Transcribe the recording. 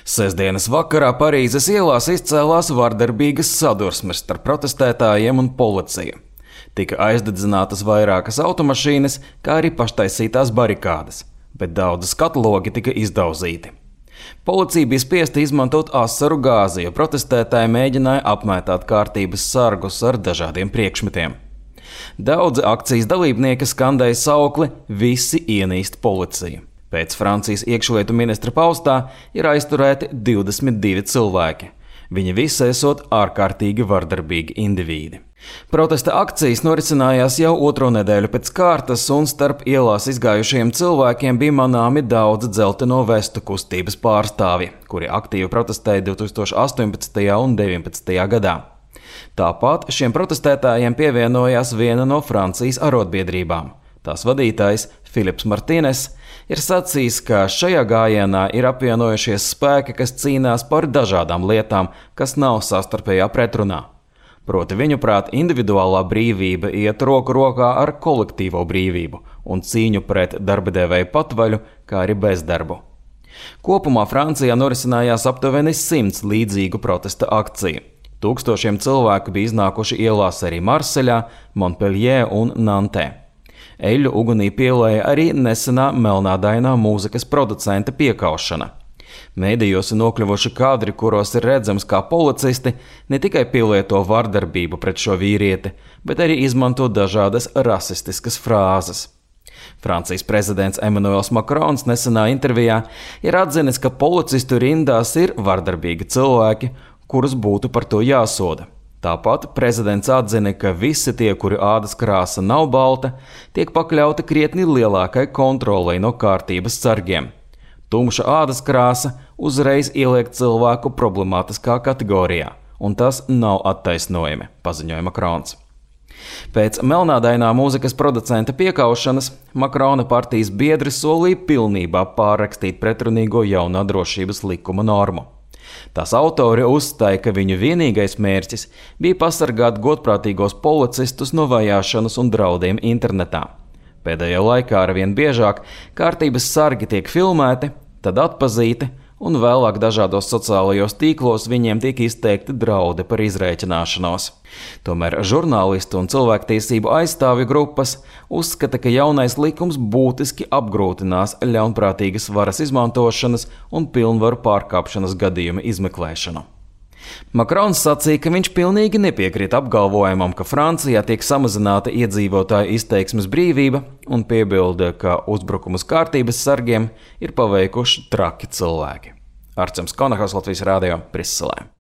Sestdienas vakarā Parīzes ielās izcēlās vardarbīgas sadursmes starp protestētājiem un policiju. Tika aizdedzinātas vairākas automašīnas, kā arī paštaisītās barikādes, bet daudzi skatlogi tika izdauzīti. Policija bija spiesta izmantot asaru gāzi, jo protestētāji mēģināja apmētāt kārtības sargus ar dažādiem priekšmetiem. Daudzi akcijas dalībnieki skandēja saukli "Visi ienīst policiju". Pēc Francijas iekšlietu ministra paustā ir aizturēti 22 cilvēki. Viņi visi esot ārkārtīgi vardarbīgi indivīdi. Protesta akcijas norisinājās jau otro nedēļu pēc kārtas, un starp ielās izgājušiem cilvēkiem bija manāmi daudz dzelteno vestu kustības pārstāvji, kuri aktīvi protestēja 2018. un 2019. gadā. Tāpat šiem protestētājiem pievienojās viena no Francijas arotbiedrībām. Tās vadītājs Filips Martīnes ir sacījis, ka šajā gājienā ir apvienojušies spēki, kas cīnās par dažādām lietām, kas nav savstarpējā pretrunā. Proti viņuprāt, individuālā brīvība iet roku rokā ar kolektīvo brīvību un cīņu pret darbadevēju patvaļu, kā arī bezdarbu. Kopumā Francijā norisinājās aptuveni 100 līdzīgu protesta akciju. Tūkstošiem cilvēku bija iznākuši ielās arī Marseļā, Montpellier un Nantē. Eļļu ugunī pielēja arī nesenā melnādainā mūzikas producenta piekaušana. Mēdījos ir nokļuvuši kadri, kuros ir redzams, kā policisti ne tikai pielieto vardarbību pret šo vīrieti, bet arī izmanto dažādas rasistiskas frāzes. Francijas prezidents Emmanuels Macrons nesenā intervijā ir atzinis, ka policistu rindās ir vardarbīgi cilvēki, kurus būtu par to jāsoda. Tāpat prezidents atzina, ka visi tie, kuri ādas krāsa nav balta, tiek pakļauti krietni lielākai kontrolei no kārtības sargiem. Tumša ādas krāsa uzreiz ieliek cilvēku problemātiskā kategorijā, un tas nav attaisnojami, paziņoja Macrons. Pēc melnādainā mūzikas producenta piekaušanas Macrona partijas biedri solīja pilnībā pārrakstīt pretrunīgo jaunā drošības likuma normu. Tās autori uzstāja, ka viņu vienīgais mērķis bija pasargāt godprātīgos policistus no vajāšanas un draudiem internetā. Pēdējā laikā arvien biežāk kārtības sargi tiek filmēti, tad atpazīti, un vēlāk dažādos sociālajos tīklos viņiem tiek izteikti draudi par izrēķināšanos. Tomēr žurnālistu un cilvēktiesību aizstāvju grupas uzskata, ka jaunais likums būtiski apgrūtinās ļaunprātīgas varas izmantošanas un pilnvaru pārkāpšanas gadījuma izmeklēšanu. Macrons sacīja, ka viņš pilnīgi nepiekrīt apgalvojumam, ka Francijā tiek samazināta iedzīvotāju izteiksmes brīvība, un piebilda, ka uzbrukumus kārtības sargiem ir paveikuši traki cilvēki. Arčuns Konahos, Latvijas Radio, Briselē.